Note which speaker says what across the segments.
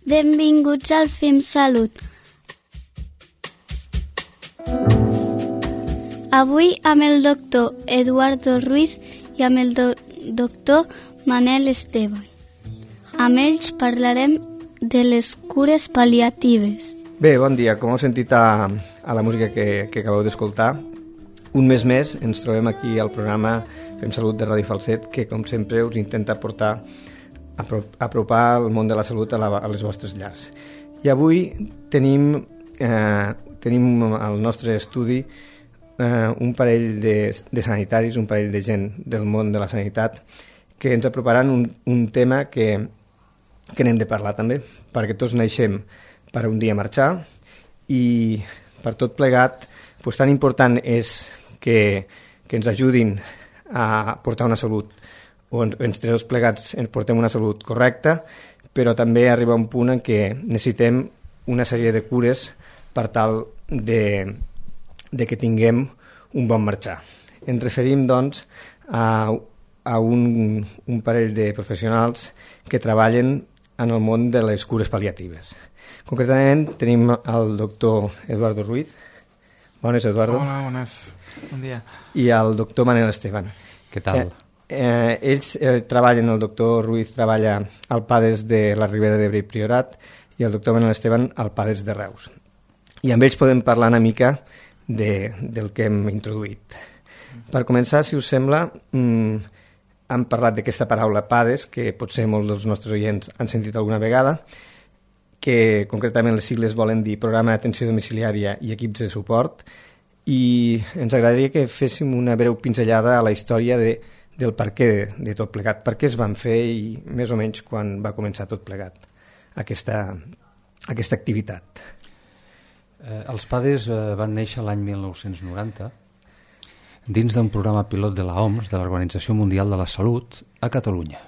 Speaker 1: Benvinguts al Fem Salut. Avui amb el doctor Eduardo Ruiz i amb el doctor Manel Esteban. Amb ells parlarem de les cures pal·liatives.
Speaker 2: Bé, bon dia. Com heu sentit a la música que acabeu d'escoltar, un mes més ens trobem aquí al programa Fem Salut de Ràdio Falset, que com sempre us intenta apropar el món de la salut a les vostres llars. I avui tenim al nostre estudi un parell de sanitaris, un parell de gent del món de la sanitat, que ens aproparan un tema que n'hem de parlar també, perquè tots naixem per un dia marxar i per tot plegat tan important és que ens ajudin a portar una salut, o entre tots plegats ens portem una salut correcta, però també arriba un punt en què necessitem una sèrie de cures per tal de que tinguem un bon marxar. Ens referim, doncs, a un parell de professionals que treballen en el món de les cures pal·liatives. Concretament tenim el doctor Eduardo Ruiz. Bones, Eduardo.
Speaker 3: Hola, bones. Bon dia.
Speaker 2: I el doctor Manel Esteban.
Speaker 4: Què tal?
Speaker 2: Ells treballen, el doctor Ruiz treballa al PADES de la Ribera d'Ebre i Priorat i el doctor Manel Esteban al PADES de Reus. I amb ells podem parlar una mica del que hem introduït. Per començar, si us sembla, hem parlat d'aquesta paraula PADES, que potser molts dels nostres oients han sentit alguna vegada, que concretament les sigles volen dir Programa d'Atenció Domiciliària i Equips de Suport, i ens agradaria que féssim una breu pinzellada a la història del per què de tot plegat, per què es van fer i més o menys quan va començar tot plegat aquesta activitat.
Speaker 4: Els PADES van néixer l'any 1990 dins d'un programa pilot de l'OMS, de l'Organització Mundial de la Salut, a Catalunya.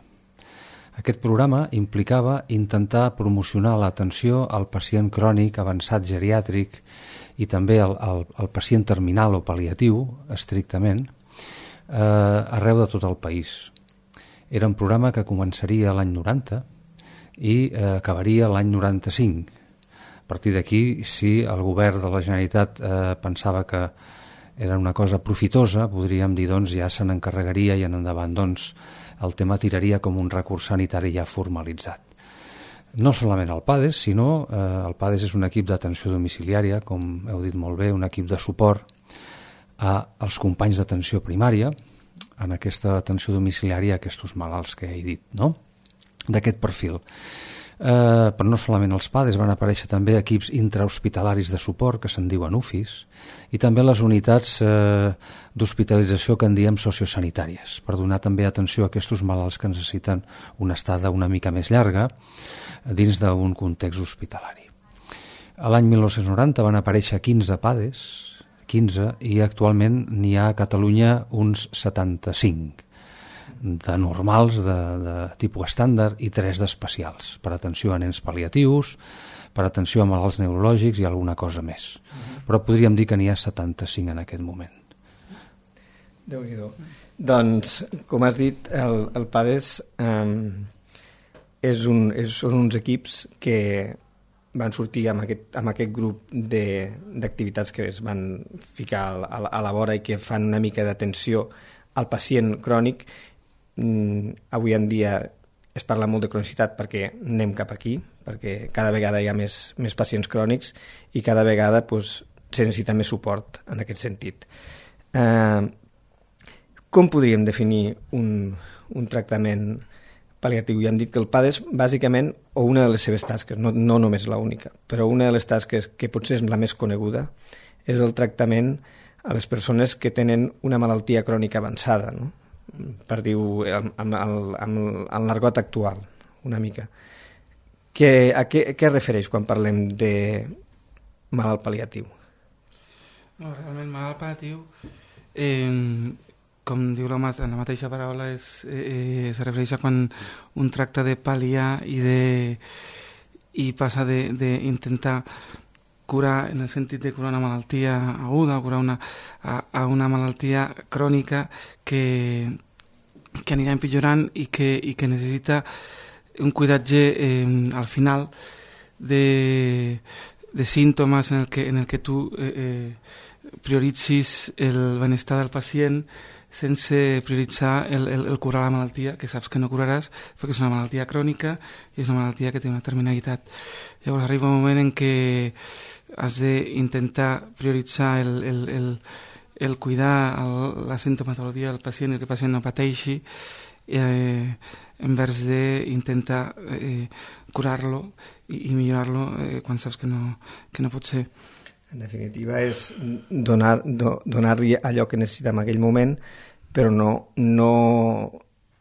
Speaker 4: Aquest programa implicava intentar promocionar l'atenció al pacient crònic avançat geriàtric i també al pacient terminal o pal·liatiu, estrictament, arreu de tot el país. Era un programa que començaria l'any 90 i acabaria l'any 95. A partir d'aquí, si el govern de la Generalitat pensava que era una cosa profitosa, podríem dir, doncs, ja se n'encarregaria i en endavant, doncs, el tema tiraria com un recurs sanitari ja formalitzat. No solament el PADES, sinó el PADES és un equip d'atenció domiciliària, com heu dit molt bé, un equip de suport als companys d'atenció primària, en aquesta atenció domiciliària a aquests malalts que he dit, no? D'aquest perfil. Però no solament els PADES, van aparèixer també equips intrahospitalaris de suport, que se'n diuen UFIs, i també les unitats d'hospitalització que en diem sociosanitàries, per donar també atenció a aquests malalts que necessiten una estada una mica més llarga dins d'un context hospitalari. A l'any 1990 van aparèixer 15 PADES, 15, i actualment n'hi ha a Catalunya uns 75. De normals, de tipus estàndard, i 3 d'especials, per atenció a nens pal·liatius, per atenció a malalts neurològics i alguna cosa més. Però podríem dir que n'hi ha 75 en aquest moment.
Speaker 2: Déu-n'hi-do. Doncs, com has dit, el PADES són uns equips que van sortir amb aquest grup d'activitats que es van ficar a la vora i que fan una mica d'atenció al pacient crònic. Avui en dia es parla molt de cronicitat perquè anem cap aquí, perquè cada vegada hi ha més pacients crònics i cada vegada se necessita més suport en aquest sentit. Com podríem definir un tractament pal·liatiu? Ja hem dit que el PADES, bàsicament, o una de les seves tasques, no només l'única, però una de les tasques que potser és la més coneguda, és el tractament a les persones que tenen una malaltia crònica avançada, no? Per dir-ho amb el l'argot actual, una mica. A què es refereix quan parlem de malalt pal·liatiu?
Speaker 3: No, realment, malalt pal·liatiu, com diu la mateixa paraula, es refereix a quan un tracta de pal·liar i passa d'intentar curar, en el sentit de curar una malaltia aguda, curar una malaltia crònica que anirà empitjorant i que necessita un cuidatge al final de símptomes en el que tu prioritzis el benestar del pacient sense prioritzar el curar la malaltia, que saps que no curaràs perquè és una malaltia crònica i és una malaltia que té una terminalitat. Llavors arriba un moment en què has d'intentar prioritzar el cuidar la sintomatologia del pacient i que el pacient no pateixi envers d'intentar curar-lo i millorar-lo quan saps que no pot ser.
Speaker 2: En definitiva és donar-li allò que necessita en aquell moment, però no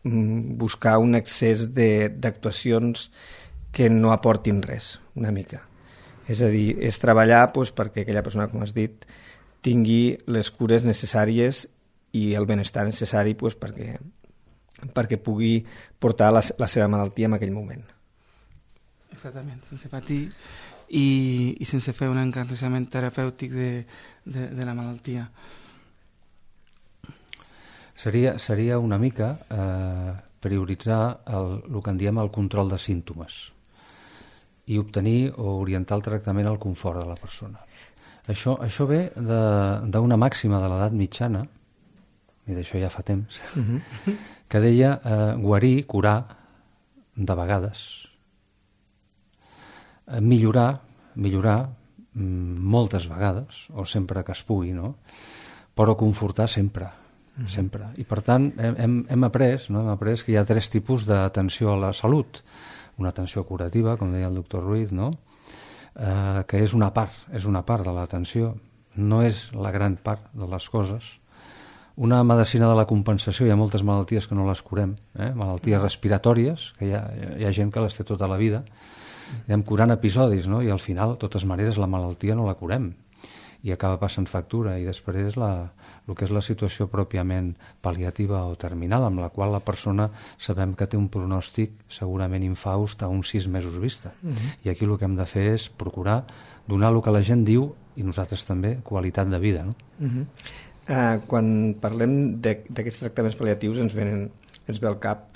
Speaker 2: buscar un excés d'actuacions que no aportin res, una mica. És a dir, és treballar perquè aquella persona, com has dit, tingui les cures necessàries i el benestar necessari perquè pugui portar la seva malaltia en aquell moment.
Speaker 3: Exactament, sense patir i sense fer un encarnissament terapèutic de la malaltia.
Speaker 4: Seria una mica prioritzar el que en diem el control de símptomes i obtenir o orientar el tractament al confort de la persona. Això ve d'una màxima de l'edat mitjana, i d'això ja fa temps, que deia guarir, curar, de vegades, millorar moltes vegades, o sempre que es pugui, no? Però confortar sempre. I per tant hem après que hi ha 3 tipus d'atenció a la salut. Una atenció curativa, com deia el doctor Ruiz, no? Que és una part de l'atenció, no és la gran part de les coses. Una medicina de la compensació, hi ha moltes malalties que no les curem, malalties respiratòries, que hi ha gent que les té tota la vida, anem curant episodis, no? I al final, de totes maneres, la malaltia no la curem i acaba passant factura, i després el que és la situació pròpiament pal·liativa o terminal, amb la qual la persona sabem que té un pronòstic segurament infaust a uns 6 mesos vista. I aquí el que hem de fer és procurar donar el que la gent diu, i nosaltres també, qualitat de vida, no?
Speaker 2: Quan parlem d'aquests tractaments pal·liatius ens ve al cap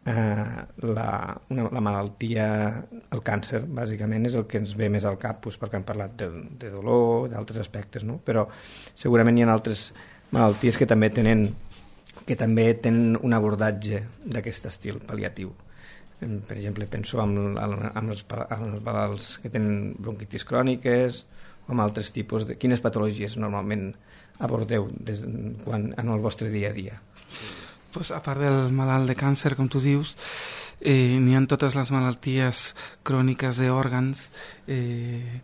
Speaker 2: la malaltia, el càncer, bàsicament, és el que ens ve més al cap, perquè hem parlat de dolor, d'altres aspectes, no? Però segurament hi ha altres malalties que també tenen un abordatge d'aquest estil pal·liatiu. Per exemple, penso amb els malalts que tenen bronquitis cròniques o amb altres tipus de... Quines patologies normalment abordeu en el vostre dia a dia?
Speaker 3: Pues, a part del malalt de càncer, com tu dius, n'hi ha totes les malalties cròniques d'òrgans,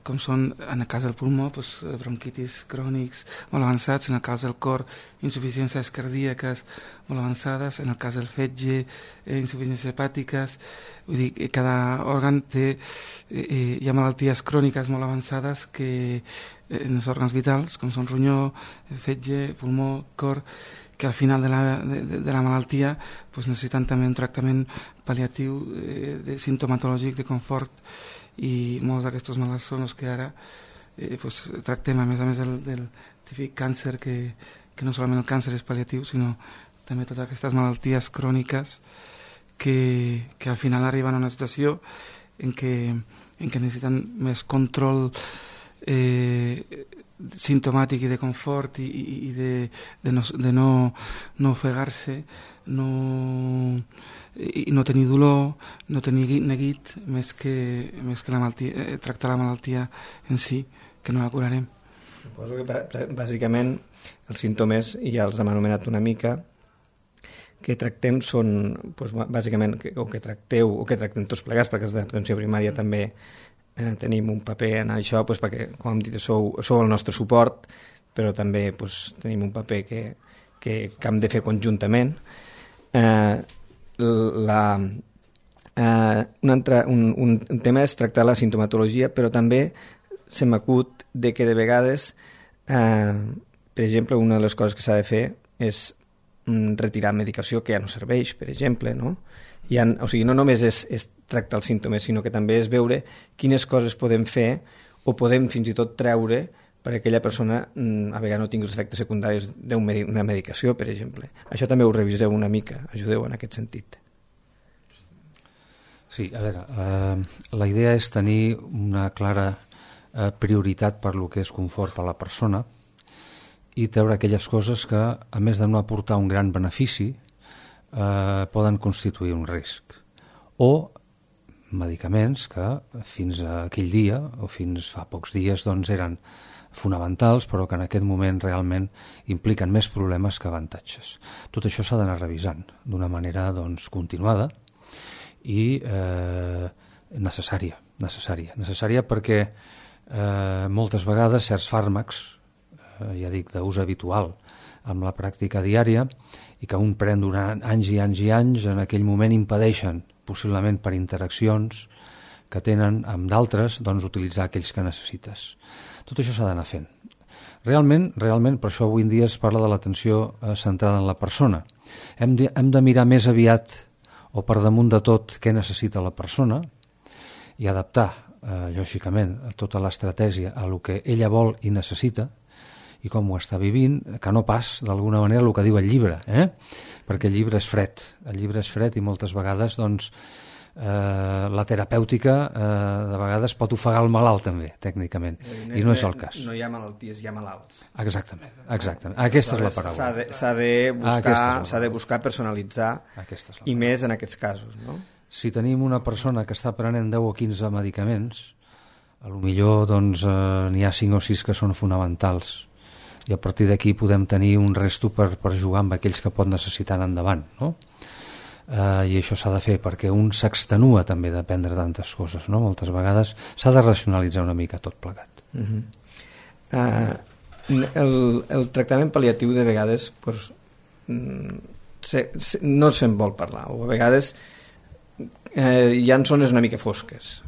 Speaker 3: com són, en el cas del pulmó, bronquitis crònics molt avançats, en el cas del cor, insuficiències cardíaques molt avançades, en el cas del fetge, insuficiències hepàtiques. Vull dir que cada òrgan té... hi ha malalties cròniques molt avançades que en els òrgans vitals, com són ronyó, fetge, pulmó, cor, que al final de la malaltia necessiten també un tractament pal·liatiu sintomatològic de confort, i molts d'aquests malalts són els que ara tractem, a més del típic càncer, que no solament el càncer és pal·liatiu, sinó també totes aquestes malalties cròniques que al final arriben a una situació en què necessiten més control sintomàtic i de confort i de no ofegar-se, i no tenir dolor, no tenir neguit, més que la malaltia, tractar la malaltia en si, que no la curarem.
Speaker 2: Suposo que bàsicament els símptomes ja els hem anomenat una mica, que tractem són bàsicament o que tractem tots plegats, perquè els d'atenció primària també tenim un paper en això, perquè, com hem dit, sou el nostre suport, però també tenim un paper que hem de fer conjuntament. Un tema és tractar la sintomatologia, però també se m'acut de que de vegades, per exemple, una de les coses que s'ha de fer és retirar medicació que ja no serveix, per exemple, no? O sigui, no només és tractar els símptomes, sinó que també és veure quines coses podem fer o podem fins i tot treure perquè aquella persona a vegades no tingui els efectes secundaris d'una medicació, per exemple. Això també ho reviseu una mica, ajudeu en aquest sentit.
Speaker 4: Sí, a veure, la idea és tenir una clara prioritat per lo que és confort per a la persona i treure aquelles coses que, a més de no aportar un gran benefici, poden constituir un risc. O medicaments que fins a aquell dia o fins fa pocs dies doncs, eren fonamentals, però que en aquest moment realment impliquen més problemes que avantatges. Tot això s'ha d'anar revisant d'una manera doncs, continuada i necessària perquè moltes vegades certs fàrmacs, ja dic, d'ús habitual amb la pràctica diària i que un pren durant anys i anys i anys, en aquell moment impedeixen, possiblement per interaccions que tenen amb d'altres, doncs utilitzar aquells que necessites. Tot això s'ha d'anar fent. Realment, per això avui en dia es parla de l'atenció centrada en la persona. Hem de mirar més aviat o per damunt de tot què necessita la persona i adaptar, lògicament, tota l'estratègia a el que ella vol i necessita i com ho està vivint, que no pas, d'alguna manera, el que diu el llibre, perquè el llibre és fred i moltes vegades doncs, la terapèutica de vegades pot ofegar el malalt també, tècnicament, i no és el cas.
Speaker 2: No hi ha malalties, hi ha malalts.
Speaker 4: Exactament. Aquesta és la paraula.
Speaker 2: S'ha de buscar personalitzar, i més en aquests casos, no?
Speaker 4: Si tenim una persona que està prenent 10 o 15 medicaments, potser doncs, n'hi ha 5 o 6 que són fonamentals i a partir d'aquí podem tenir un resto per jugar amb aquells que pot necessitar endavant, no? I això s'ha de fer perquè un s'extenua també de prendre tantes coses, no? Moltes vegades s'ha de racionalitzar una mica tot plegat.
Speaker 2: El tractament pal·liatiu de vegades doncs, no se'n vol parlar, o a vegades hi ha zones una mica fosques.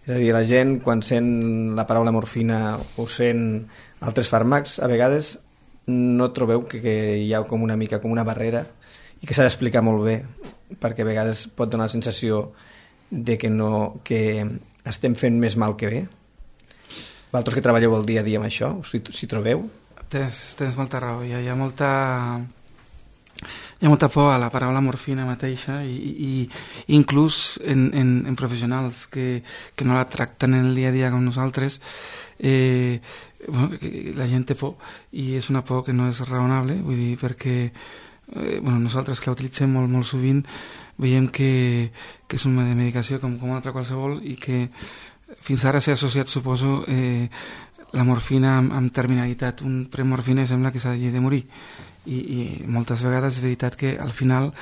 Speaker 2: És a dir, la gent quan sent la paraula morfina o sent altres fàrmacs, a vegades no trobeu que hi ha com una mica com una barrera i que s'ha d'explicar molt bé, perquè a vegades pot donar la sensació de que estem fent més mal que bé. Vosaltres que treballeu el dia a dia amb això, si trobeu?
Speaker 3: Tens molta raó, hi ha molta por a la paraula morfina mateixa i inclús en professionals que no la tracten en el dia a dia com nosaltres, la gent té por i és una por que no és raonable, vull dir, perquè nosaltres que la utilitzem molt sovint veiem que és una medicació com una altra qualsevol i que fins ara s'ha associat, suposo, la morfina amb terminalitat. Un premorfina sembla que s'ha de morir i moltes vegades és veritat que al final,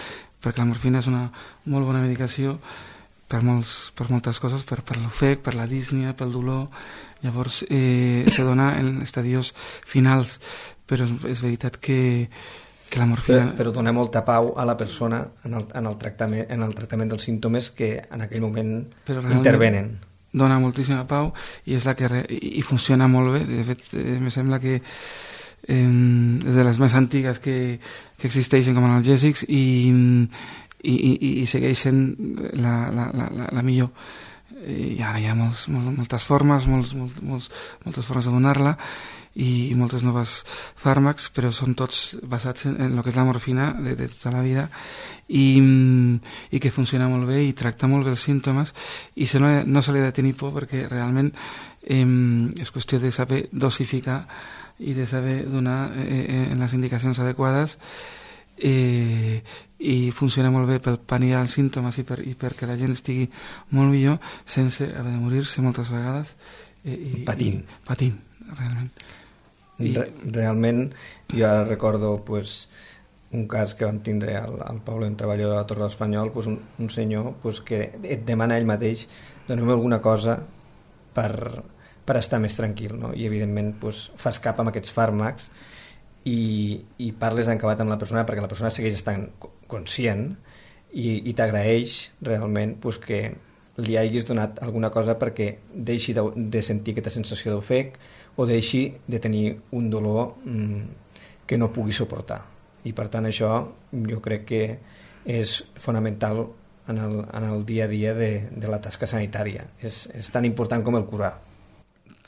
Speaker 3: perquè la morfina és una molt bona medicació per moltes coses, per l'ofec, per la dísnia, pel dolor, llavors se dona en estadios finals, però és veritat que la morfina...
Speaker 2: Però dona molta pau a la persona en el tractament dels símptomes que en aquell moment intervenen.
Speaker 3: Dona moltíssima pau i és la que i funciona molt bé. De fet, em sembla que és de les més antigues que existeixen com a analgèsics i segueix sent la millor. I ara hi ha moltes formes, moltes formes de donar-la i moltes noves fàrmacs, però són tots basats en el que és la morfina de tota la vida i que funciona molt bé i tracta molt bé els símptomes i no se li ha de tenir por perquè realment és qüestió de saber dosificar i de saber donar en les indicacions adequades i funciona molt bé per pal·liar els símptomes i perquè la gent estigui molt millor sense haver de morir-se moltes vegades patint, realment.
Speaker 2: Realment, jo ara recordo un cas que vam tindre al poble on treballo de la Torre de l'Espanyol, un senyor que et demana ell mateix dona'm alguna cosa per estar més tranquil, no? I evidentment fas cap amb aquests fàrmacs i parles en acabat amb la persona perquè la persona segueix estant conscient i t'agraeix realment que li hagis donat alguna cosa perquè deixi de sentir aquesta sensació d'ofec o deixi de tenir un dolor que no pugui suportar. I per tant això jo crec que és fonamental en el dia a dia de la tasca sanitària. És tan important com el curar.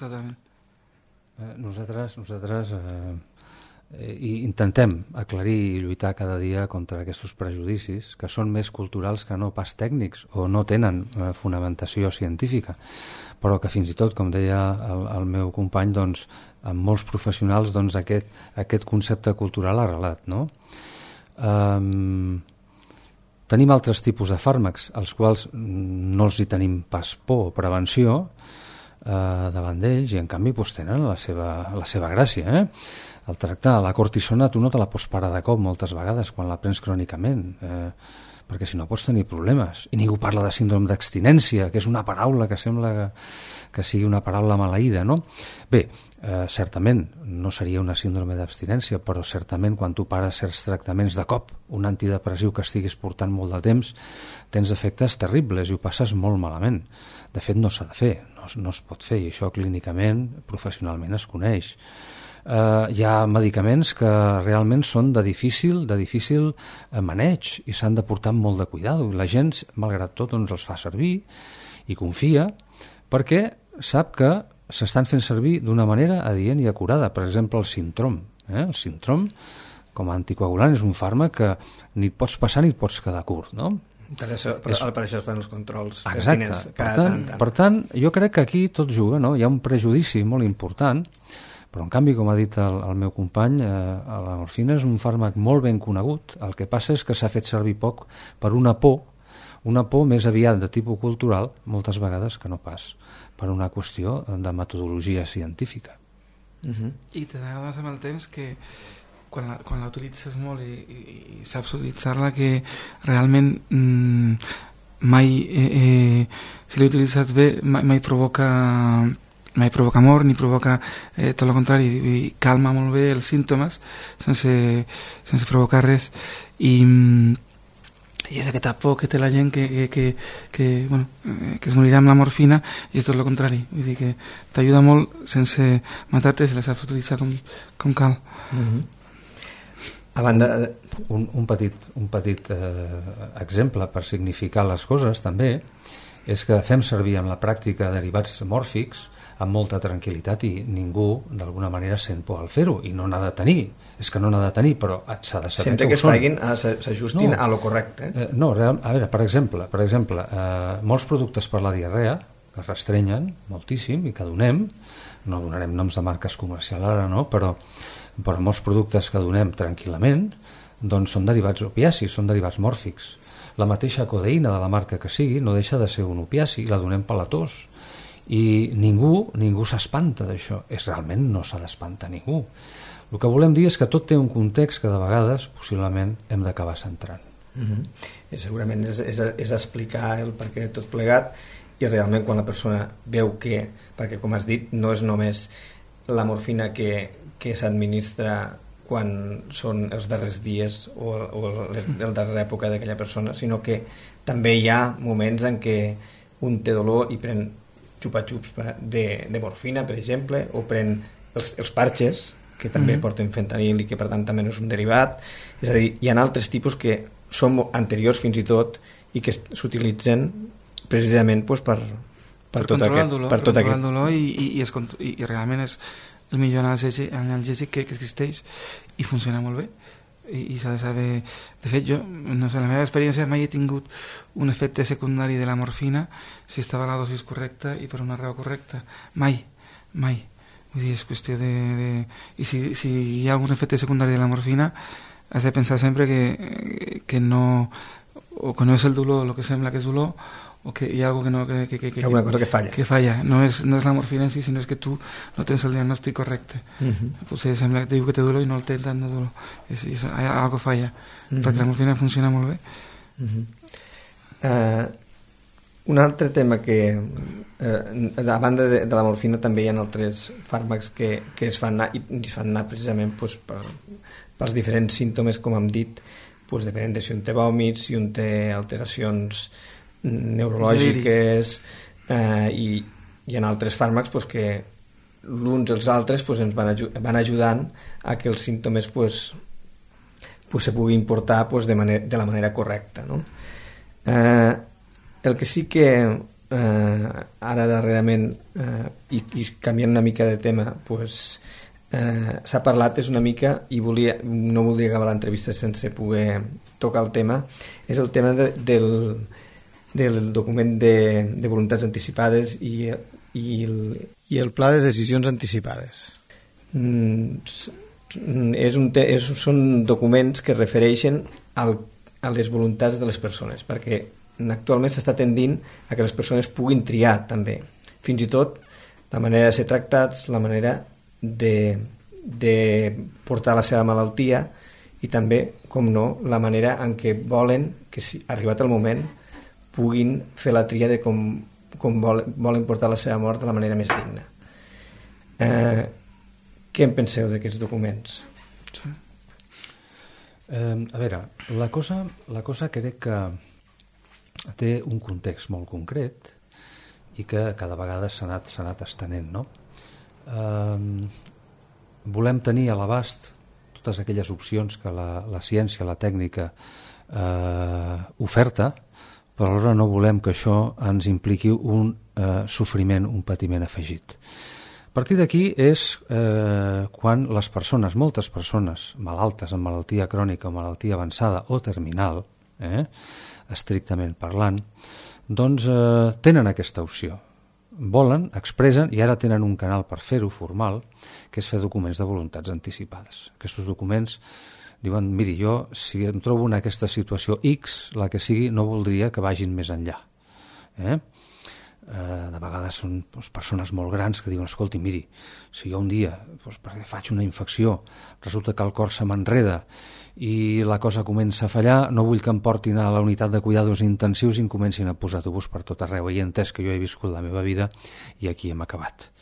Speaker 3: Totalment.
Speaker 4: Nosaltres i intentem aclarir i lluitar cada dia contra aquests prejudicis que són més culturals que no pas tècnics o no tenen fonamentació científica, però que fins i tot, com deia el meu company, doncs, amb molts professionals doncs, aquest concepte cultural ha arrelat, no? Tenim altres tipus de fàrmacs, als quals no els hi tenim pas por o prevenció davant d'ells, i en canvi doncs, tenen la seva gràcia, El tractar la cortisona tu no te la pots parar de cop moltes vegades quan la prens crònicament, perquè si no pots tenir problemes. I ningú parla de síndrome d'abstinència, que és una paraula que sembla que sigui una paraula maleïda, no? Bé, certament no seria una síndrome d'abstinència, però certament quan tu pares certs tractaments de cop, un antidepressiu que estiguis portant molt de temps, tens efectes terribles i ho passes molt malament. De fet, no s'ha de fer, no es pot fer, i això clínicament, professionalment es coneix. Hi ha medicaments que realment són de difícil maneig i s'han de portar amb molt de cuidado. La gent, malgrat tot, doncs, els fa servir i confia perquè sap que s'estan fent servir d'una manera adient i acurada. Per exemple, el Sintrom. El Sintrom, com a anticoagulant, és un fàrmac que ni et pots passar ni et pots quedar curt, no?
Speaker 2: Per això es fan els controls
Speaker 4: pertinents cada tant. Per tant, jo crec que aquí tot juga, no? Hi ha un prejudici molt important, però en canvi, com ha dit el meu company, la morfina és un fàrmac molt ben conegut. El que passa és que s'ha fet servir poc per una por més aviat de tipus cultural, moltes vegades que no pas per una qüestió de metodologia científica.
Speaker 3: I te n'adones amb el temps que quan la utilitzes molt i saps utilitzar-la, que realment mai, si l'he utilitzat bé, mai provoca amor ni provoca tot el contrari, calma molt bé els símptomes sense provocar res, i és aquesta por que té la gent que es morirà amb la morfina, i és tot el contrari, vull dir que t'ajuda molt sense matar-te si la saps utilitzar com cal.
Speaker 2: A banda
Speaker 4: un petit exemple per significar les coses també és que fem servir en la pràctica derivats mòrfics amb molta tranquil·litat, i ningú d'alguna manera sent por al fer-ho, i no n'ha de tenir, és que no n'ha de tenir, però s'ha de saber
Speaker 2: sempre que es facin, s'ajustin a lo correcte.
Speaker 4: No, a veure, per exemple, molts productes per la diarrea que es restrenyen moltíssim i que donem, no donarem noms de marques comercials ara, no? Però molts productes que donem tranquil·lament doncs són derivats opiacis, són derivats mòrfics. La mateixa codeïna de la marca que sigui no deixa de ser un opiaci, la donem per la tos, i ningú s'espanta d'això. Realment no s'ha d'espantar ningú. El que volem dir és que tot té un context que de vegades possiblement hem d'acabar centrant.
Speaker 2: I segurament és explicar el perquè de tot plegat, i realment quan la persona veu que, perquè com has dit, no és només la morfina que s'administra quan són els darrers dies o la darrera època d'aquella persona, sinó que també hi ha moments en què un té dolor i pren xupa-xups de morfina, per exemple, o pren els parxes, que també porten fentanil i que per tant també no és un derivat. És a dir, hi ha altres tipus que són anteriors fins i tot i que s'utilitzen precisament per
Speaker 3: controlar el dolor i realment és el millor analgèsic que existeix i funciona molt bé. I s'ha de saber. De fet, jo, no sé, la meva experiència mai he tingut un efecte secundari de la morfina si estava a la dosis correcta i per una raó correcta. Mai. Vull dir, és qüestió de... I si hi ha algun efecte secundari de la morfina, has de pensar sempre que no... o que no és el dolor el que sembla que és dolor, o que hi ha alguna cosa
Speaker 2: que alguna cosa que falla.
Speaker 3: Que falla. No és la morfina en si, sinó és que tu no tens el diagnòstic correcte. Potser sembla que te diu que té dolor i no el té tant de dolor. Algo falla. Perquè la morfina funciona molt bé.
Speaker 2: Un altre tema que a banda de la morfina també hi ha altres fàrmacs que es fan anar precisament pels diferents símptomes, com hem dit, depenent de si un té vòmits, si un té alteracions neurològiques, i hi ha altres fàrmacs que l'uns i els altres ens van ajudant a que els símptomes se puguin portar de la manera correcta, no? El que sí que ara darrerament, i canviant una mica de tema, s'ha parlat és una mica, i no volia acabar l'entrevista sense poder tocar el tema, és el tema del document de voluntats anticipades i el pla de decisions anticipades. Són documents que refereixen a les voluntats de les persones, perquè actualment s'està tendint a que les persones puguin triar també, fins i tot la manera de ser tractats, la manera de portar la seva malaltia i també, com no, la manera en què volen que, si arribat el moment, puguin fer la tria de com volen portar la seva mort de la manera més digna. Què en penseu d'aquests documents?
Speaker 4: A veure, la cosa crec que té un context molt concret i que cada vegada s'ha anat estenent, no? Volem tenir a l'abast totes aquelles opcions que la ciència, la tècnica oferta, però alhora no volem que això ens impliqui un sofriment, un patiment afegit. A partir d'aquí és quan les persones, moltes persones malaltes amb malaltia crònica o malaltia avançada o terminal, estrictament parlant, doncs tenen aquesta opció. Volen, expressen i ara tenen un canal per fer-ho formal, que és fer documents de voluntats anticipades. Aquests documents diuen, miri, jo si em trobo en aquesta situació X, la que sigui, no voldria que vagin més enllà. De vegades són persones molt grans que diuen, escolti, miri, si jo un dia perquè faig una infecció, resulta que el cor se m'enreda i la cosa comença a fallar, no vull que em portin a la unitat de cuidados intensius i em comencin a posar tubos per tot arreu. I he entès que jo he viscut la meva vida i aquí hem acabat.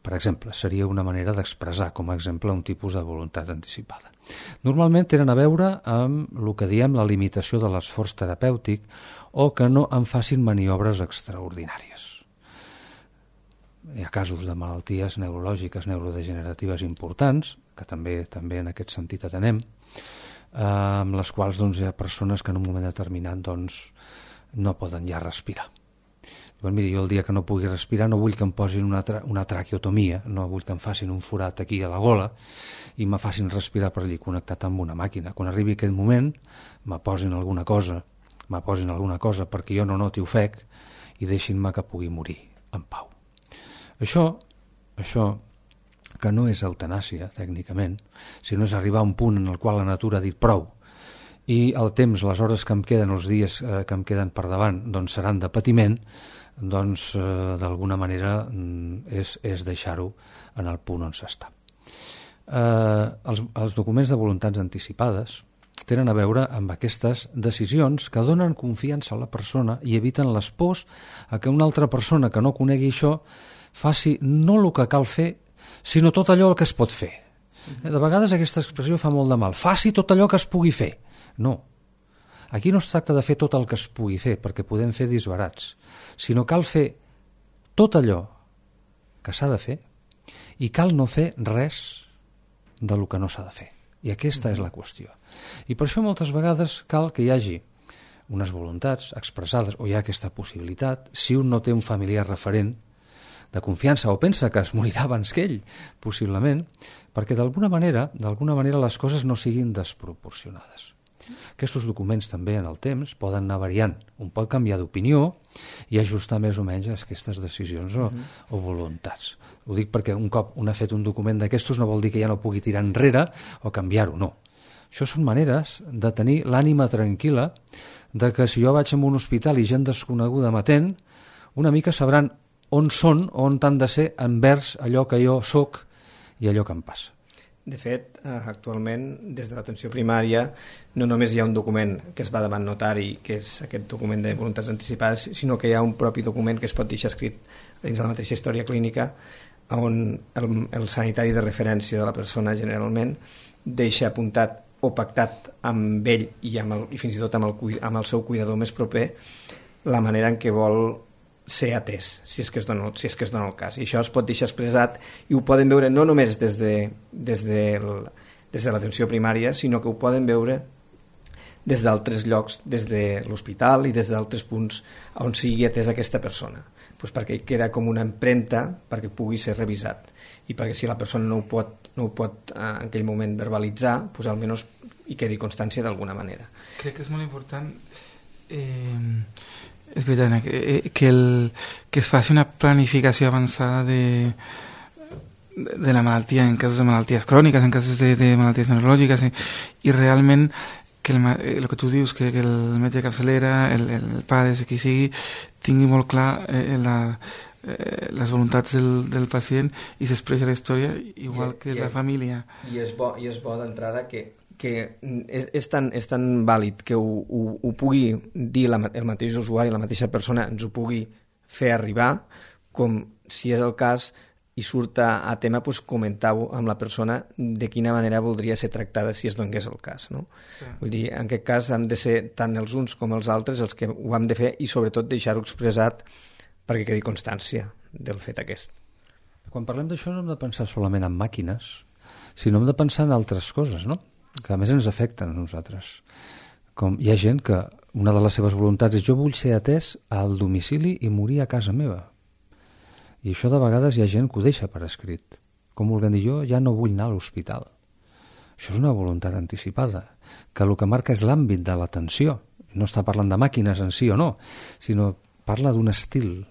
Speaker 4: Per exemple, seria una manera d'expressar com a exemple un tipus de voluntat anticipada. Normalment tenen a veure amb el que diem la limitació de l'esforç terapèutic o que no en facin maniobres extraordinàries. Hi ha casos de malalties neurològiques, neurodegeneratives importants, que també en aquest sentit atenem, amb les quals hi ha persones que en un moment determinat no poden ja respirar. Diuen, miri, jo el dia que no pugui respirar no vull que em posin una traqueotomia, no vull que em facin un forat aquí a la gola i me facin respirar per allí connectat amb una màquina. Quan arribi aquest moment me posin alguna cosa perquè jo no noti ofec i deixin-me que pugui morir en pau. Això que no és eutanàsia tècnicament, sinó és arribar a un punt en el qual la natura ha dit prou i el temps, les hores que em queden, els dies que em queden per davant seran de patiment, d'alguna manera és deixar-ho en el punt on s'està. Els documents de voluntats anticipades tenen a veure amb aquestes decisions que donen confiança a la persona i eviten les pors a que una altra persona que no conegui això faci no el que cal fer, sinó tot allò que es pot fer. De vegades aquesta expressió fa molt de mal. Faci tot allò que es pugui fer. No. Aquí no es tracta de fer tot el que es pugui fer, perquè podem fer disbarats, sinó cal fer tot allò que s'ha de fer i cal no fer res del que no s'ha de fer. I aquesta és la qüestió. I per això moltes vegades cal que hi hagi unes voluntats expressades o hi ha aquesta possibilitat, si un no té un familiar referent de confiança o pensa que es morirà abans que ell, possiblement, perquè d'alguna manera les coses no siguin desproporcionades. Aquests documents també en el temps poden anar variant. Un pot canviar d'opinió i ajustar més o menys aquestes decisions o voluntats. Ho dic perquè un cop un ha fet un document d'aquestos no vol dir que ja no pugui tirar enrere o canviar-ho, no. Això són maneres de tenir l'ànima tranquil·la de que si jo vaig a un hospital i gent desconeguda m'atén, una mica sabran on són o on han de ser envers allò que jo soc i allò que em passa.
Speaker 2: De fet, actualment, des de l'atenció primària, no només hi ha un document que es va davant notari, que és aquest document de voluntats anticipades, sinó que hi ha un propi document que es pot deixar escrit dins de la mateixa història clínica, on el sanitari de referència de la persona, generalment, deixa apuntat o pactat amb ell i fins i tot amb el seu cuidador més proper la manera en què vol ser atès, si és que es dona el cas. I això es pot deixar expressat i ho poden veure no només des de l'atenció primària, sinó que ho poden veure des d'altres llocs, des de l'hospital i des d'altres punts on sigui atesa aquesta persona, pues perquè queda com una empremta perquè pugui ser revisat i perquè si la persona no ho pot en aquell moment verbalitzar, pues almenys hi quedi constància d'alguna manera.
Speaker 3: Crec que és molt important és veritat que es faci una planificació avançada de la malaltia en casos de malalties cròniques, en casos de malalties neurològiques i realment que el que tu dius, que el metge de capçalera, el PADES, qui sigui, tingui molt clar les voluntats del pacient i s'expressa la història igual que la família.
Speaker 2: I és bo d'entrada que és tan vàlid que ho pugui dir el mateix usuari, la mateixa persona ens ho pugui fer arribar, com si és el cas i surt a tema, pues, comentar-ho amb la persona de quina manera voldria ser tractada si es donés el cas, no? Sí. Vull dir, en aquest cas han de ser tant els uns com els altres els que ho hem de fer i sobretot deixar-ho expressat perquè quedi constància del fet aquest.
Speaker 4: Quan parlem d'això no hem de pensar solament en màquines, sinó hem de pensar en altres coses, no? Que a més ens afecten a nosaltres. Com hi ha gent que una de les seves voluntats és jo vull ser atès al domicili i morir a casa meva. I això de vegades hi ha gent que ho deixa per escrit. Com volent dir, jo ja no vull anar a l'hospital. Això és una voluntat anticipada, que el que marca és l'àmbit de l'atenció. No està parlant de màquines en si o no, sinó parla d'un estil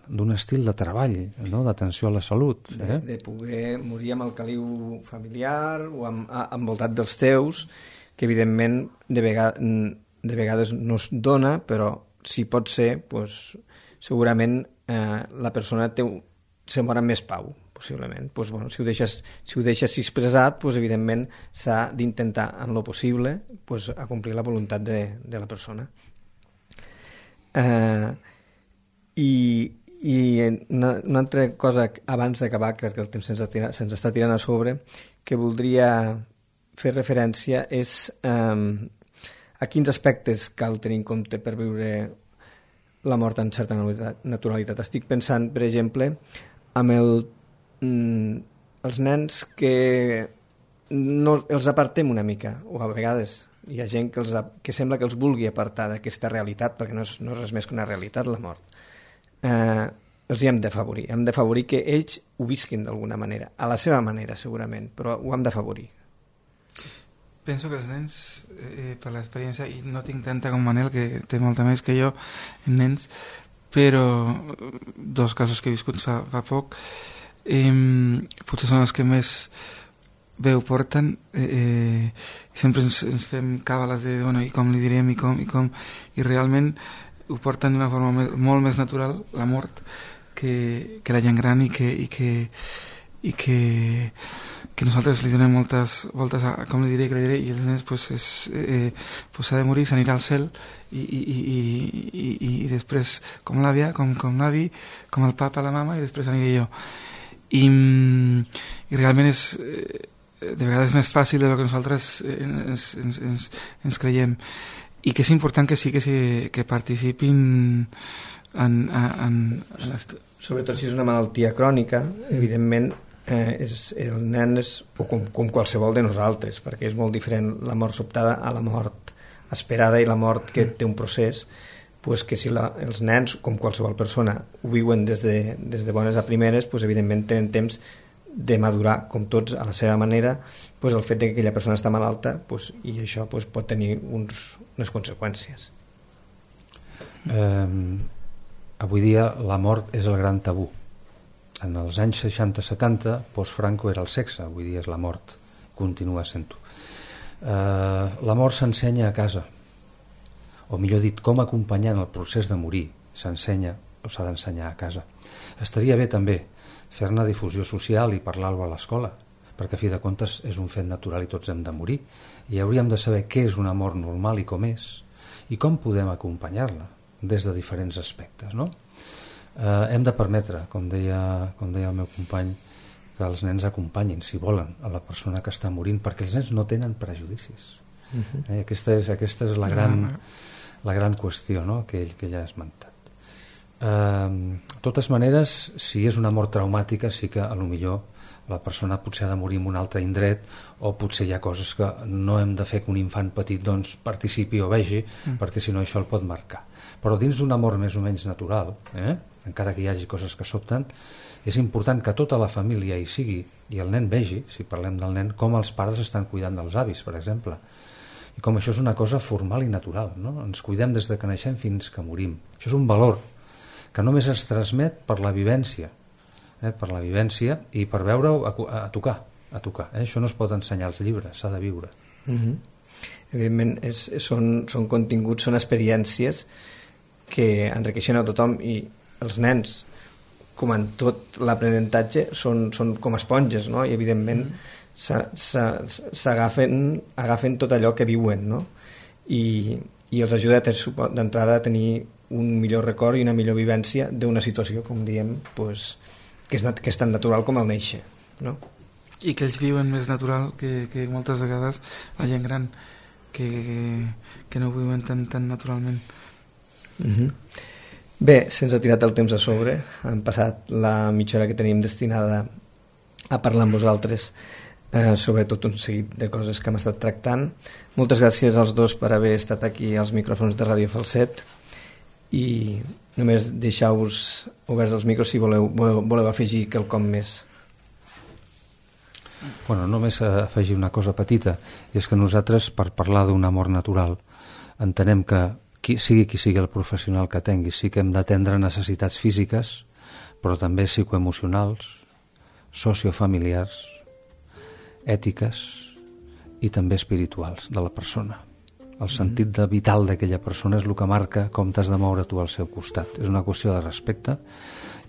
Speaker 4: de treball, no? D'atenció a la salut.
Speaker 2: De poder morir amb el caliu familiar o envoltat dels teus, que evidentment de vegades no es dona, però si pot ser, pues, segurament la persona se mor amb més pau, possiblement. Pues, bueno, si ho deixes expressat, pues, evidentment s'ha d'intentar en lo possible, pues, acomplir la voluntat de la persona. I una altra cosa abans d'acabar, que el temps se'ns està tirant a sobre, que voldria fer referència és a quins aspectes cal tenir en compte per viure la mort en certa naturalitat. Estic pensant, per exemple, amb els nens que no, els apartem una mica, o a vegades hi ha gent que sembla que els vulgui apartar d'aquesta realitat, perquè no és res més que una realitat, la mort. Els hi hem d'afavorir que ells ho visquin d'alguna manera, a la seva manera segurament, però ho hem d'afavorir.
Speaker 3: Penso que els nens, per l'experiència, i no tinc tanta com Manel, que té molta més que jo en nens, però dos casos que he viscut fa poc, potser són els que més bé ho porten, sempre ens fem càbales de bueno, i com li direm i realment ho porten d'una forma molt més natural, la mort, que la gent gran i que nosaltres li donem moltes voltes a com li diré i els nens pues s'ha de morir, s'anirà al cel i després com l'àvia, com l'avi, com el papa, la mama i després aniré jo i realment és de vegades més fàcil del que nosaltres ens creiem i que és important que sí que participin
Speaker 2: sobretot si és una malaltia crònica, evidentment el nen és com qualsevol de nosaltres, perquè és molt diferent la mort sobtada a la mort esperada i la mort que té un procés, pues que si els nens, com qualsevol persona, ho viuen des de bones a primeres, pues evidentment tenen temps de madurar, com tots, a la seva manera, pues el fet que aquella persona està malalta, pues, i això pues, pot tenir unes conseqüències.
Speaker 4: Avui dia la mort és el gran tabú. En els anys 60-70, post-Franco era el sexe, avui dia és la mort, continua sent-ho. La mort s'ensenya a casa, o millor dit, com acompanyar en el procés de morir s'ensenya o s'ha d'ensenyar a casa. Estaria bé també fer-ne difusió social i parlar-ho a l'escola, perquè a fi de comptes és un fet natural i tots hem de morir, i hauríem de saber què és una mort normal i com és, i com podem acompanyar-la des de diferents aspectes, no? Hem de permetre, com deia el meu company, que els nens acompanyin, si volen, a la persona que està morint, perquè els nens no tenen prejudicis. Aquesta és la gran qüestió, no? que ell ha esmentat. De totes maneres, si és una mort traumàtica, sí que a lo millor la persona potser ha de morir en un altre indret, o potser hi ha coses que no hem de fer que un infant petit doncs, participi o vegi, perquè si no això el pot marcar. Però dins d'una mort més o menys natural, encara que hi hagi coses que sobten, és important que tota la família hi sigui i el nen vegi, si parlem del nen, com els pares estan cuidant dels avis, per exemple, i com això és una cosa formal i natural, no? Ens cuidem des de que naixem fins que morim. Això és un valor que només es transmet per la vivència, i per veure-ho a tocar. Això no es pot ensenyar als llibres, s'ha de viure.
Speaker 2: Evidentment són continguts, són experiències que enriqueixen a tothom, i els nens, com en tot l'aprenentatge, són com esponges, no? I evidentment agafen tot allò que viuen, no? I els ajuda d'entrada a tenir un millor record i una millor vivència d'una situació, com diem, pues, que és tan natural com el néixer, no?
Speaker 3: I que ells viuen més natural que moltes vegades la gent gran, que no ho viuen tan naturalment.
Speaker 2: Bé, se'ns ha tirat el temps a sobre, hem passat la mitja hora que tenim destinada a parlar amb vosaltres sobre tot un seguit de coses que hem estat tractant. Moltes gràcies als dos per haver estat aquí als micròfons de Ràdio Falset, i només deixeu-vos oberts els micros si voleu afegir quelcom més.
Speaker 4: Bueno, només afegir una cosa petita, i és que nosaltres, per parlar d'una mort natural, entenem que qui sigui el professional que tingui, sí que hem d'atendre necessitats físiques, però també psicoemocionals, sociofamiliars, ètiques i també espirituals de la persona. El sentit vital d'aquella persona és el que marca com t'has de moure tu al seu costat. És una qüestió de respecte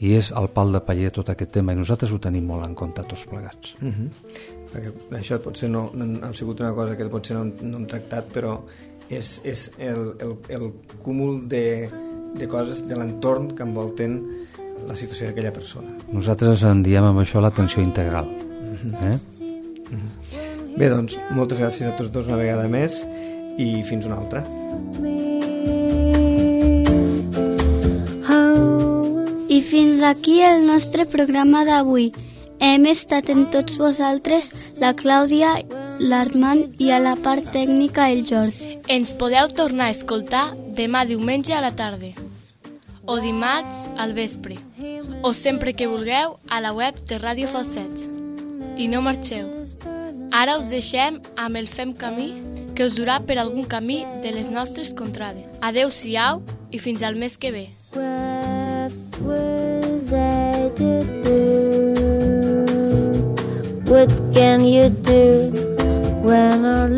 Speaker 4: i és el pal de paller tot aquest tema, i nosaltres ho tenim molt en compte tots plegats.
Speaker 2: Perquè això potser no ha sigut una cosa que potser no hem tractat, però és el cúmul de coses de l'entorn que envolten la situació d'aquella persona.
Speaker 4: Nosaltres en diem amb això l'atenció integral.
Speaker 2: Bé, doncs, moltes gràcies a tots dos una vegada més, i fins una altra.
Speaker 1: I fins aquí el nostre programa d'avui. Hem estat en tots vosaltres la Clàudia, l'Armand i a la part tècnica el Jordi.
Speaker 5: Ens podeu tornar a escoltar demà diumenge a la tarda, o dimarts al vespre, o sempre que vulgueu a la web de Ràdio Falset. I no marxeu. Ara us deixem amb el Fem Camí, que us durà per algun camí de les nostres contrades. Adeu-siau i fins al mes que ve. What was I to do? What can you do when our